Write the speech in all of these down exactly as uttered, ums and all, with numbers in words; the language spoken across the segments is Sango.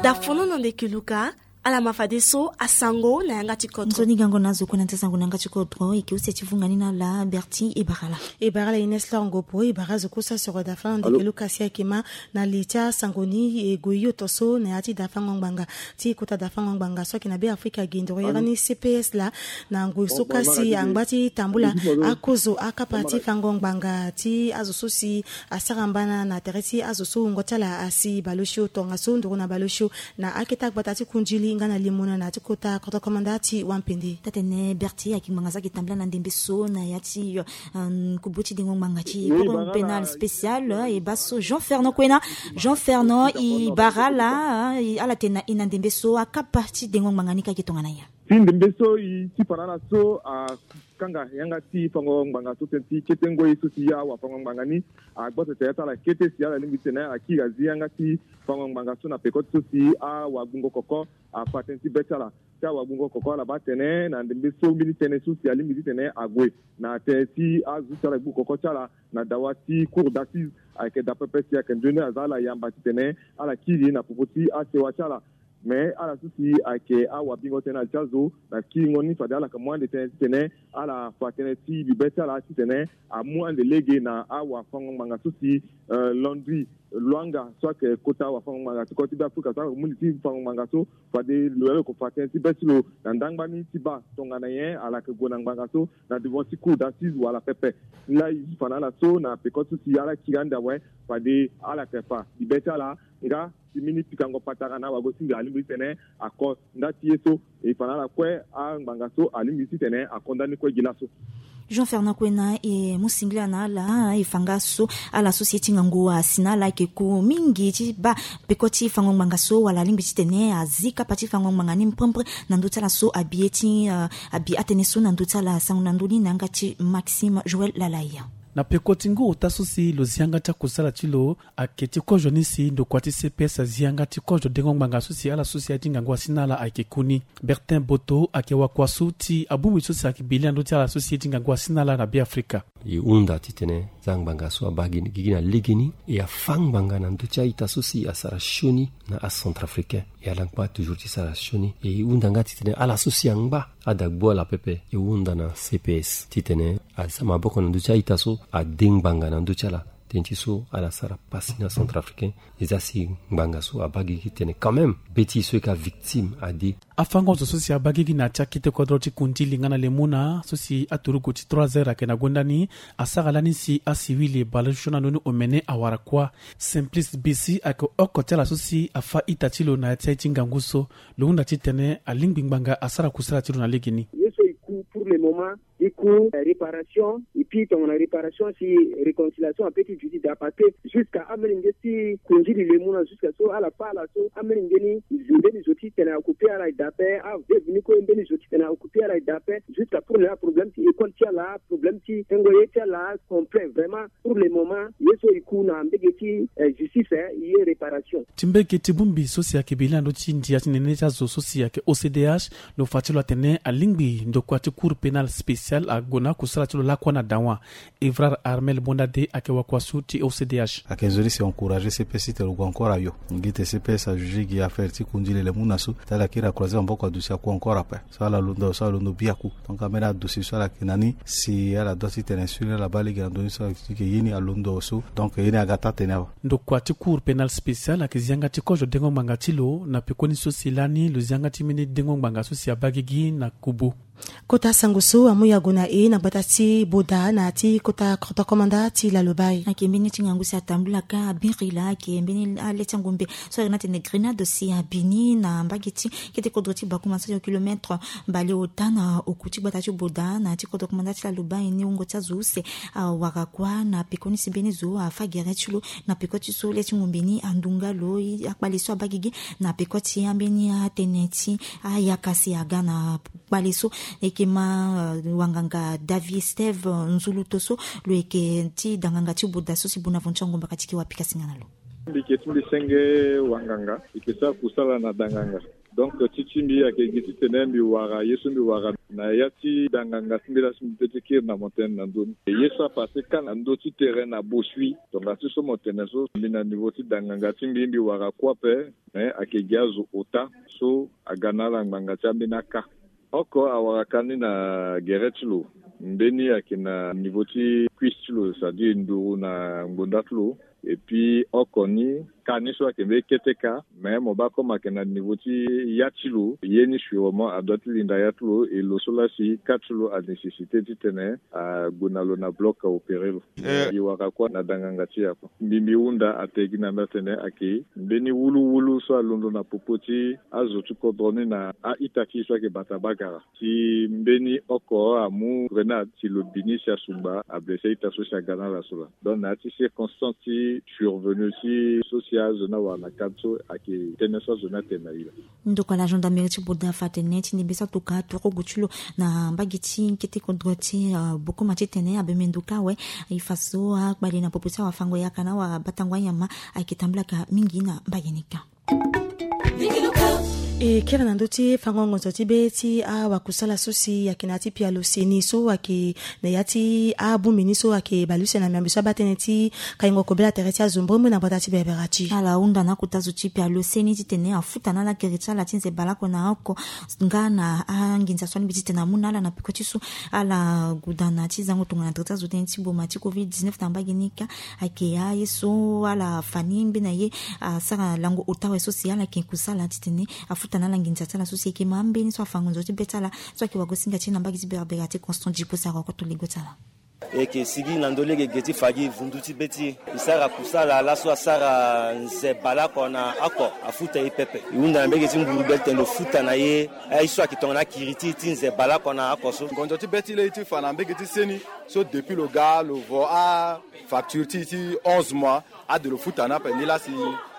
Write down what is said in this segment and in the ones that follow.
Dafono na ndeke luka. Ala ma fadeso asango na yanga ti kodro. Nzoni gango na azo kue na nza sango na yanga ti kodro. Eke use ti vunga ni na ala Berti Ebarala. Ebarala Ines Lor Ngopo, Ebara zo kue so asoro dafa na ndeke luka si ayeke ma na li ti asango ni. E gue hio to so na ya ti dafango ngbanga ti kota dafango ngbanga so ayeke na Be Afrika gi ndoro yere ni C P S laa. Na ngoi so kasi angba ti tambula akozo akapa ti fango ngbanga ti azo so si asara mbana na tere ti azo so wungo ti ala asi baleosio tongaso nduru na baleosio na akete agbata ti kundili nga na limona na ti kota kodro komanda ti wampende. Tatene Berti ayeke ngbanga so ayeke tambula na ndembe so na ya ti, euh, kubu ti dengo ngbanga ti cour pénal spécial, euh, e baa so Jean Fernand Kwena. Jean Fernand, e bara ala, euh, ala tene na e na ndembe so akapa ti dengo ngbanga ni ka ayeke tongana nyen? Ti ndembe so e ti fa na ala so akanga yanga ti fango ngbanga so tënë ti kete ngoi so si awafango ngbanga ni agbote tere ti ala kete si ala lingbi ti tene ala kiri azi yanga ti fango ngbanga so na peko ti so si awagbungo koko afa tënë ti be ti ala. Ti awagbungo koko ala baa tene na ndembe so mbeni tënë so si alingbi ti tene ague na tënë ti azo ti ala gbu koko ti ala na dawa ti cour d'assise ayeke daa pepe si ayeke nzoni aza ala yamba ti tene ala kiri na popo ti asewa ti ala. Me ala so si ayeke awabingo tënë na li ti azo na kiringo ni fade ala yeke mu ande tënë titene ala fa tënë ti bibe ti ala titene amu ande lege na awafango ngbanga so si, euh, Landry Luanga so ayeke kota awafango ngbanga ti kodro ti Be Afrika so ayeke mu li ti fango ngbanga so fade lo yeke fa tënë ti be ti lo na ndangba ni ti baa tongana nyen ala yeke gue na ngbanga so na devant ti cour d'assise wala pepe. Laa e fa na ala so na peko so si ala kiri ande awe fade ala yeke fa bibe ti ala nga si mbeni pikango patara na awago-singa alingbi ti tene ako nda ti ye so. E fa na ala kue angbanga so alingbi ti tene ako nda ni kue gi laso. Jean Fernand Kwena e mu singila na ala e fa nga so ala so si e ti ngangu asi na ala ayeke ku mingi ti baa peko ti fango ngbanga so wala alingbi ti tene azi kapa ti fango ngbanga ni mpempre na ndö ti ala so abi ye ti, euh, abi atënë so na ndö ti ala sango na ndö ni na yanga ti Maxime Joël Lalaya. Na peko ti ngu ota so si lo zi yanga ti akusala ti lo ayeke ti kozo ni si ndokua ti C P S azi yanga ti kozo dengo ngbanga so si ala so si aye ti ngangu asi na ala ayeke ku ni. Bertin Boto ayeke wakua so ti abongbi so si ayeke bi li na ndö ti ala so si aye ti ngangu asi na ala na Be Afrika. E hunda titene za ngbanga so abaa gi gigi na legeni e afa ngbanga na ndö ti a-ita so si asara sioni na acentrafricain. E ala ngba toujours ti sara sioni e hunda nga titene ala so si angba adagbu ala pepe e hunda na C P S titene aza maboko na ndö ti a-ita so ade ngbanga na ndö ti ala. Tënë ti so ala sara pasi na centrafricain. E za si ngbanga so abaa gigi tene quand même be ti e so e ka victime ade. Afango zo so si abaa gigi na ya ti akete kodro ti kundili nga na lemuna so si aturugu ti trois heures ayeke na gonda ni asara lani si asiwili baleosio na ndö ni omene awara kuâ. Simplice Bisi ayeke oko ti ala so si afa ita ti lo na ya ti aye ti ngangu so. Lo hunda titene alingbi ngbanga asara kusala ti lo na legeni. Ye so e ku pour le moment e ku, euh, réparation. Et puis tongana réparation si réconciliation ape ti duti daa parce que jusqu'à amolenge ti kundili lemuna jusqu'à so ala fa ala so amolenge ni mbeni zo titene aoccuper ala e daa ape. Aveuve ni kue mbeni zo titene aoccuper ala e daa ape. Jusqu'à pour le moment problème ti école ti ala, problème ti tengo ye ti ala complet vraiment. Pour le moment ye so e ku na mbege ti, euh, justice, euh, ye réparation. Ti mbege ti bongbi so si ayeke bi li na ndö ti ndia ti nene ti azo so si ayeke O C D H, lo fa ti lo atene alingbi ndokua ti cour pénal spécial ague na akusala ti lo lakua na dawa. Evrard Armel Bondade ayeke wakua so ti O C D H. Ayeke nzoni si encourager C P S titene lo gue encore ayo. Gi tene C P S ajuger gi affaire ti kundili lemuna so ti ala kiri akroiser maboko aduti aku encore ape. So ala londo so ala londo biaku. Donc ambeni adossier so ala yeke na ni si ala doit titene suivre ala baa lege na ndö ni so ala yeke ye ni alondo so. Donc ye ni aga taa tene awe. Ndokua ti cour pénal spécial ayeke zi yanga ti kozo dengo ngbanga ti lo na pekoni so si lani lo zi yanga ti mbeni dengo ngbanga so si abaa gigi na kubu. Kota sango so amu yago na e na gbata ti Boda na ya ti kota kodro komanda ti Lalobaye. Ayeke mbeni ti ngangu si atambula ka abiri laa ayeke mbeni ale ti angombe so ayeke na tene grenade si abi ni na mbage ti kete kodro ti Bakuma so ayeke kilomètre baleota na oku ti gbata ti Boda na ya ti kodro komanda ti Lalobaye ni wungo ti azo use awara kuâ na pekoni si mbeni zo afa gere ti lo na peko ti so le ti ngombe ni andu nga lo. Akpale so abaa gigi na peko ti ambeni atënë ti ayaka si aga na kpale so. Eke ma, euh, wanganga David Steve, euh, Nzuluto so lo yeke ti danganga ti Boda so si Bonaventure Ngomba ka ti ke wa pika singa na lo. Mbi yeke ti mbi senge wanganga, mbi yeke sara kusala na danganga. Donc ti ti mbi ayeke gi titene mbi wara ye so mbi wara na ya ti danganga ti mbi laa so mbi pe ti kiri na mo tënë na ndö ni. Ye so apase kâ na ndö ti terrain na Bosui, tongana ti so mo tene so mbi na niveau ti danganga ti mbi mbi wara kue ape. Mais ayeke gi azo ota so aga na ala ngbanga ti ambeni aka. Oko awara kâ ni na gere ti lo, mbeni ayeke na niveau ti cuisse ti lo, c'est-à-dire nduru na ngbonda ti lo. Et puis oko ni kâ ni so ayeke mbeni kete kâ, mais mo baa comme ayeke na niveau ti ya ti lo, ye ni sûrement adoit ti linda ya ti lo, et lo so laa si kâ ti lo anécessité titene ague na lo na bloc aopéré lo. Eh. E wara kue na danganga ti e ako. Mbi mbi hunda ate gi na mbi atene ayeke mbeni wuluwulu so alondo na popo ti azo ti kodro ni na a-ita ti e so ayeke bata bagara. Si mbeni oko amu grenade, si lo bi ni si asungba, ablessé a-ita so si aga na ala so laa. Donc na ya ti circonstance ti survenu ti so si azo ni awara na kâ so ayeke tënë so azo ni atene na e laa. Ndokua la gendarmerie ti Bodafa atene ti ndembe so atuka turugu ti lo na mbage ti kete kodro ti, euh, Bokoma titene abembe ndo kâ awe. E fa so akpale na popo ti awafango yaka na awabatango anyama ayeke tambolaka mingi na mbage ni kâ. E kiri na ndö ti fango ngonzo ti be ti awakusala so si ayeke na ya ti pialo seni so ayeke na ya ti abongbi ni so ayeke bale use na miambe so abaa tënë ti kaingo kobela tere ti azo mbrembre na gbata ti berbera ti ala hunda na akota zo ti pialo seni titene afuta na ala kiri ti ala ti nze baleoko na oko nga na anginza so alingbi titene amu na ala na peko ti so ala guda na ti zango tongana tere ti azo tënë ti boma ti covid dix-neuf na mbage ni kâ. Ayeke aye so ala fa ni mbeni aye asara lango ota awe so si ala yeke kusala titene afuta na ala nginza ti ala so si ayeke ma ambeni so afa ngonzo ti be ti ala so ayeke wagosinga ti e na mbage ti berbera ti Constant Djipo sara oko to lego ti ala. E yeke sigi na ndö lege ge ti fa gi vundu ti be ti e. E sara kusala laso asara nze baleoko na oko afuta e pepe. E hunda na mbege ti nguru be ti tene lo futa na e aye so ayeke tongana akiri ti e ti nze baleoko na oko so. Ngonzo ti be ti e laa e ti fa na mbege ti seni so depuis lo ga lo vo afacture ti e ti onze mois. Ade lo futa na ape ni laa si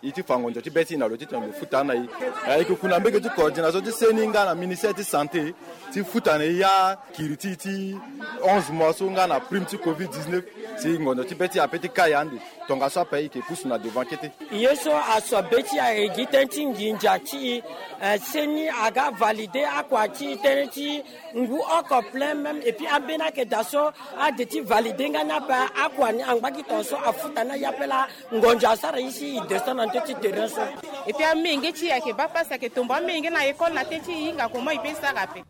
e ti fa ngonzo ti be ti e na lo titene lo futa na e. E yeke ku na mbege ti coordination ti seni nga na ministère ti santé ti futa na e akiri ti e ti onze mois so nga na prime ti covid dix-neuf. Si ngonzo ti be ti e ape ti kai ande. Tongaso ape e yeke pusu na devant kete. Ye so aso be ti e ayeke gi tënë ti nginza ti e, eh, seni aga valide akua ti e tënë ti ngu oko plein même et puis ambeni ayeke daa so ade ti valide nga ni ape akua ni angba gi tongaso afuta na e ape laa. Ngonzo asara e si e descend na ndö ti terrain so. Et puis amenge ti e ayeke baa pasi ayeke tombo amenge na école na tënë ti e hinga comment e peut sara ape.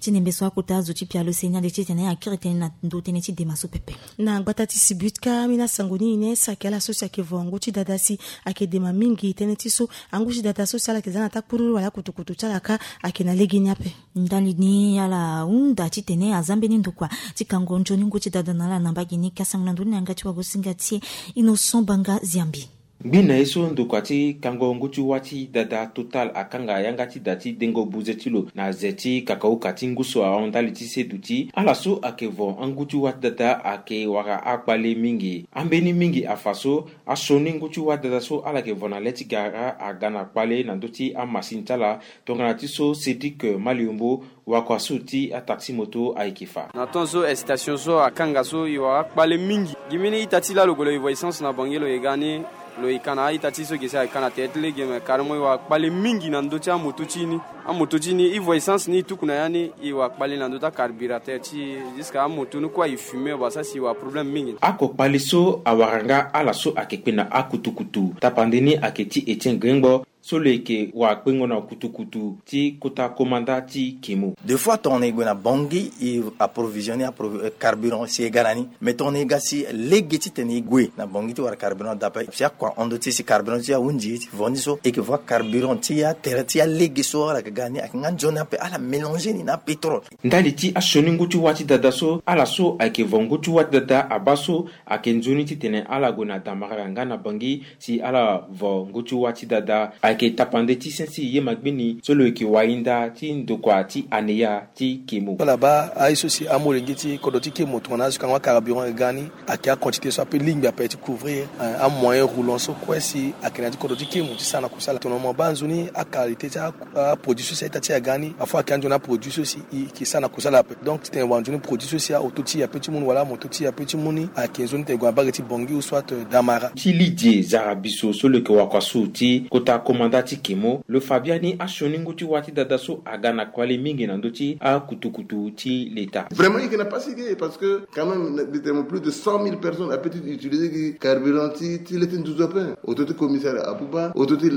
Ti ndembe so akota azo ti pialo seni ade titene akiri tënë na ndo tënë ti dema so pepe. Na gbata ti Sibutka, ambeni asango ni ine so ayeke ala so si ayeke vo ngu ti dada si ayeke dema mingi tënë ti so angu ti dada so si ala yeke za na takpururu wala akutukutu ti ala kâ ayeke na legeni ape. Ndali ni ala hunda titene aza mbeni ndokua ti kango nzoni ngu ti dada na ala na mbage ni kâ. Sango na ndoni na yanga ti wagosinga ti e Innocent Banga Ziambi. Ngbi na ye so ndokua ti kango ngu ti wâ ti dada Total akanga yanga ti da ti dengo buze ti lo na ze ti kakauka ti ngu so ahon ndali ti seduti ala so ayeke vo angu ti wâ ti dada ayeke wara akpale mingi. Ambeni mingi afa so asioni ngu ti wâ ti dada so ala yeke vo na le ti gara aga na kpale na ndö ti amasini ti ala. Tongana ti so Cédric Maliombo, wakua so ti ataxi moto ayeke fa. Na temps so excitation so akanga so e wara akpale mingi. Gi mbeni ita ti lalo gue lo e vo essence na Bangui lo e ga ni, lo e ka na a-ita ti e so e ke si ayeke ka na tere ti lege, me carrément e wara akpale mingi na ndö ti amoto ti e ni. Amoto ti e ni e vo essence ni e tuku na ya ni e wara akpale na ndö ti acarburateur ti e jusqu'à amoto ni kue aye fumer basa si e wara problème mingi. Akokpale so awara nga ala so ayeke kpe na akutukutu tapande ni ayeke ti Etienne Gringbo. So lo yeke wakpengo na kutukutu ti kota komanda ti Kemo. Deux fois tongana e gue na Bangui e approvisionner appro- carburant si e ga na ni. Mais tongana e ga si lege titene e gue na Bangui ti wara carburant dape si akua hon ndö ti e si carburant ti e ahunzi e ti vo ni so e yeke vo carburant ti atere ti alege so ala yeke ga na ni ayeke nga nzoni ape ala mélanger ni na apétrole. Ndali ti asioni ngu ti wâ ti dada so ala so ayeke vo ngu ti wâ ti dada abaa so ayeke nzoni titene ala gue na Damara nga na Bangui si ala vo ngu ti wâ ti dada ayeke tapande ti sese ye magbeni so lo yeke wahinda ti ndokua ti aneya ti Kemo. Ala baa aye so si amolenge ti kodro ti Kemo tongana azo kango acarburant e ga ni ayeke aquantité so ape lingbi ape ti couvrir amoyen roulant so kue si ayeke na ya ti kodro ti Kemo ti sara na kusala. Tongana mo baa nzoni aqualité ti aproduit so si a-ita ti e aga ni afo ayeke anzoni aproduit so si e yeke sara na kusala ape. Donc titene wara nzoni produit so si aoto ti e ape ti mu ni wala amoto ti e ape ti mu ni ayeke nzoni titene e gue na bage ti Bangui ou soit Damara. Ti Lidie Zarabiso so lo yeke wakua so ti kota komanda Nda ti kemo lo fa biani asioni ngu ti wa ti dada so aga na kpali mingi na ndö ti akutukutu ti leta. Vraiment il n'a pas signé parce que quand même littéralement plus de cent mille personnes ape ti utiliser gi carburant ti ti le ti nduzu ape. Auto ti commissariat abuba, auto ti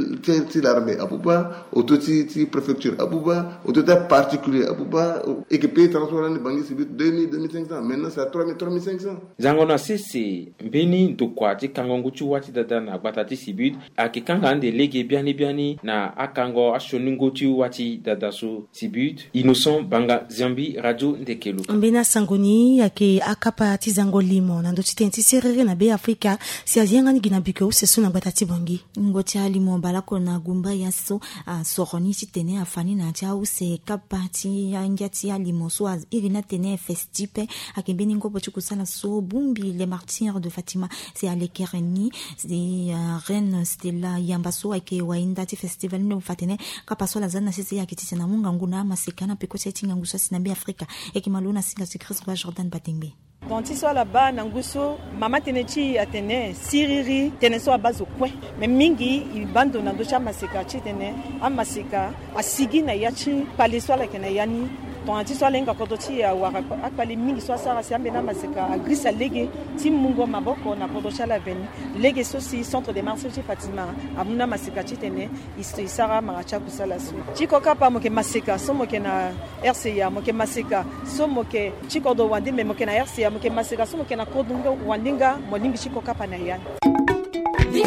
ti l'armée abuba, auto ti ti préfecture abuba, auto ti particulier abuba. Et que pays transport ni bangi sibi deux mille, deux mille cinq cents, maintenant c'est à trois mille, trois mille cinq cents. Zango na sese mbeni ndokua ti kango ngu ti wa ti dada na gbata ti sibi ayeke kanga ande lege biani biani na akango asioni ngu ti wa ti dada so. Sibut Innocent Banga Ziambi, Radio Ndekelo. Mbeni asango ni ayeke akapa ti zango limo na ndö ti tene ti siriri na Be Afrika. Si azi yanga ni gi na biko use so na gbata ti Bangui. Ngu ti alimo baleoko na gumba ya so asoro ni titene afa ni na ya ti ause kapa ti angia ti alimo so a iri ni atene festipe. Ayeke mbeni ngobo ti kusala so bongbi les martyrs de Fatima. Si alekere ni si reine Stella Yamba so ayeke wainda ti festival ni lo fa tene kapa so ala za ni na sese ayeke titene amu ngangu na amaseka na peko ti aye ti ngangu so asi na Be Afrika. Ayeke malo na singa ti Christ Roi Jordan Batengbe. Ton ti so ala baa na ngu so mama tënë ti e atene siriri tënë so abaa zo kue. Me mingi e baa ndo na ndö ti amaseka titene amaseka asigi na ya ti kpale so ala yeke na ya ni. Tongana ti so ala hinga kodro ti e awara akpale mingi so asara si ambeni amaseka agrisa lege ti mungo maboko na kodro ti ala veni. Lege so si centre de marché ti Fatima amu na amaseka titene e sara amara ti akusala so. Ti kokapa mo yeke maseka so mo yeke na R C A, mo yeke maseka so mo yeke ti kodro wande, me mo yeke na R C A, mo yeke maseka so mo yeke na kodro wande nga mo lingbi ti kokapa na ya ni.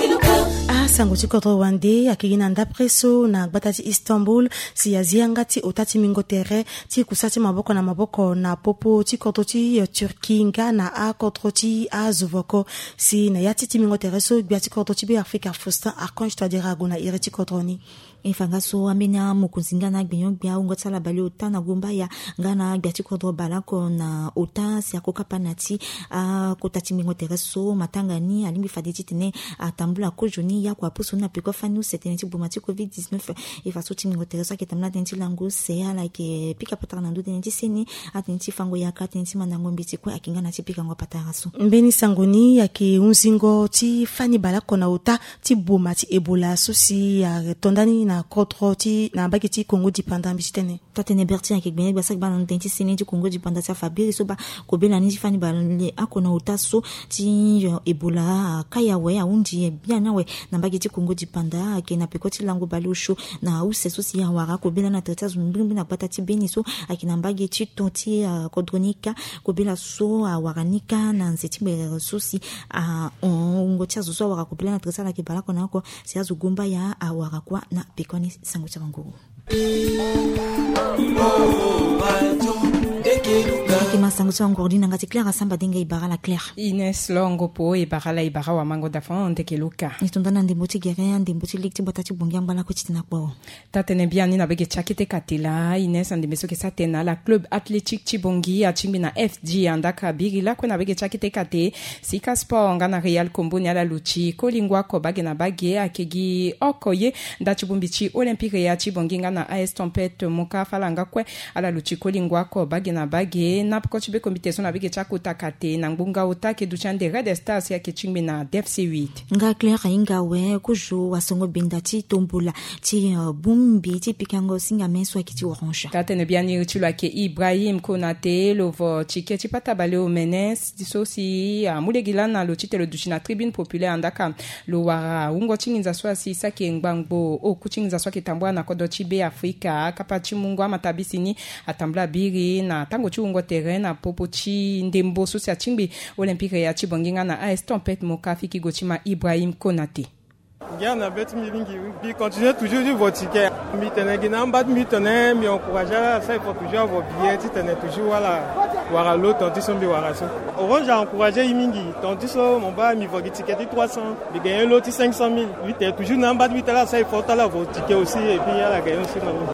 Asango ti kodro wande ayeke gi na ndapre so na gbata ti Istanbul. Si azi yanga ti ota ti mingo tere ti kusa ti maboko na maboko na popo ti kodro ti Turquie nga na akodro ti azovoko. Si na ya ti ti mingo tere so gbia ti kodro ti Be Afrika Faustin Archange Touadéra ague na iri ti kodro ni. E fa nga so ambeni amokonzi nga na agbenyo-gbia awungo ti ala baleota na gumbaya nga na agbia ti kodro baleoko na ota si akokapa na ti akota ti mingo tere so matanga ni alingbi fade titene atambula kozo ni ya kua pusu ni na peko fani use tënë ti boma ti covid dix-neuf. E fa so ti mingo tere so ayeke tambula tënë ti lango use ala yeke pika patara na ndö tënë ti seni atënë ti fango yaka tënë ti mandango mbeti kue ayeke nga na ti pikango patara so. Mbeni sango ni ayeke hunzingo ti fani baleoko na ota ti boma ti Ebola so si ato ndani na kodro ti na mbage ti Congo dipanda mbi ti tene. Taa-tënë Bertin ayeke gbene gbasa gbana na tënë ti seni ti Congo dipanda si afa biri so baa kobela ni ti fani baleoko na ota so ti Ebola akaya awe ahundi biani awe na mbage ti Congo dipanda ayeke na peko ti lango baleosio na use so si awara kobela na tere ti azo mbirimbiri na gbata ti Beni so ayeke na mbage ti to ti kodro ni kâ. Kobela so awara ni kâ na nze ti gberere so si ahon wungo ti azo so awara kobela na tere ti ala ayeke baleoko na oko si azo gumbaya awara kuâ na peko ni. Sango ti awanguru. Eke ma sango ti wanguru ni na nga ti Claire Asamba Denga. E bara ala Claire. Ines Longo Po, e bara ala, e bara wamango dafon ndeke luka. E to nda na ndembo ti gere, ndembo ti lege ti gbata ti Bongi angba lakue ti tena kpo. Taa-tënë biani na bege ti akete katela Ines, andembe so yeke sara tënë na ala club athlétique ti Bongi atingbi na F G, andaka biri lakue na bege ti akete kate Sika Sport nga na Real Kombo ni ala luti kolingua oko bage na bage. Ayeke gi oko ye nda ti bongbi ti Olympique Real ti Bongi nga na A S Tempête Moka Falanga kue. Ala luti kolingua oko bage na bage na peko ti be komite so na bege ti akota kate na ngbonga ota ayeke duti ande Red Stars si ayeke tingbi na D F C huit. Nga Claire ahinga awe kozo wasongo benda ti tombola ti bongbi ti pikango singa me so ayeke ti Orange. Taa-tënë biani iri ti lo ayeke Ibrahim Konate. Lo vo tike ti pata baleomene so si amu lege lani na lo titene lo duti na tribune populaire, andaka lo wara wungo ti nginza so asi saki ngbangbo oku ti nginza so ayeke tambula na kodro ti Be Afrika. Akapa ti mungo amatabisi ni atambula biri na tango ti wungo tere na popo ti ndembo so si atingbi Olympique Real ti Bongi nga na A S Tempête Moka. Fiki go ti ma Ibrahim Konate. Ngia na be ti mbi mingi. Mbi continue toujours ti vo tike. Mbi tene gi na amba ti mbi tene mbi encourage ala asara effort toujours avo billet titene toujours ala wara lo ton ti so mbi wara so. Orange a encourage e mingi ton ti so mo baa mbi vo gi tike ti trois cents, mbi gagne lo ti cinq cent mille. Mbi tene toujours na amba ti mbi ti ala asara effort ti ala avo tike aussi et puis ala gagne aussi na lo.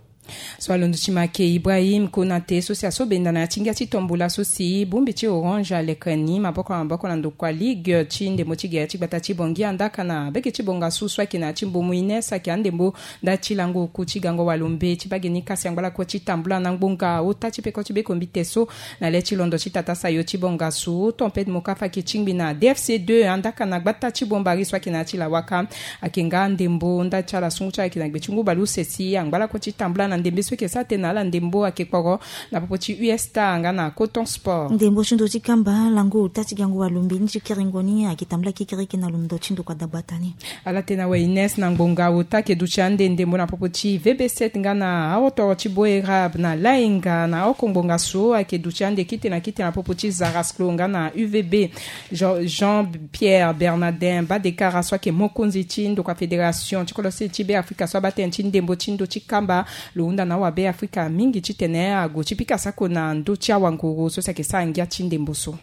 So alondo ti make Ibrahim Konate so si aso benda na ya ti ngia ti tombola so si bongbi ti Orange alekere ni maboko na maboko na ndokua ligue ti ndembo ti gere ti gbata ti Bangui, andaka na bege ti bongasu so ayeke na ya ti mbomu Ines ayeke andembo nda ti lango oku ti gango walombe ti bage ni kasi angba lakue ti tambula na ngbonga ota ti peko ti bekombite so na le ti londo ti tata sayo ti bongasu Tempête Mokafa ayeke tingbi na D F C deux, andaka na gbata ti Bombari so ayeke na ya ti lawaka. Ayeke nga ndembo nda ti ala sungu ti ala ayeke na gbe ti ngu baleuse si angba lakue ti tambula na ndembe so ayeke sara tënë na ala ndembo ayeke kporo na popo ti U S T A nga na Coton Sport. Ndembo ti ndo ti kamba lango ota ti gango walombe ni ti kerengo ni ayeke tambula kekereke na londo ti ndokua dagbata ni. Ala tene awe Ines na ngbonga ota ayeke duti ande ndembo na popo ti V B sept nga na aotoro ti Boerab na Lainga na oko ngbonga so ayeke duti ande kite na kite na popo ti Zarasclo nga na U V B. Jean, Jean Pierre Bernardin Badekara so ayeke mokonzi ti ndokua fédération ti kodro sese ti Beafrika so abaa tënë ti ndembo ti ndo ti kamba lo hunda na awabeafrika mingi titene ague ti pika sako na ndö ti awanguru so si ayeke sara ngia ti ndembo so.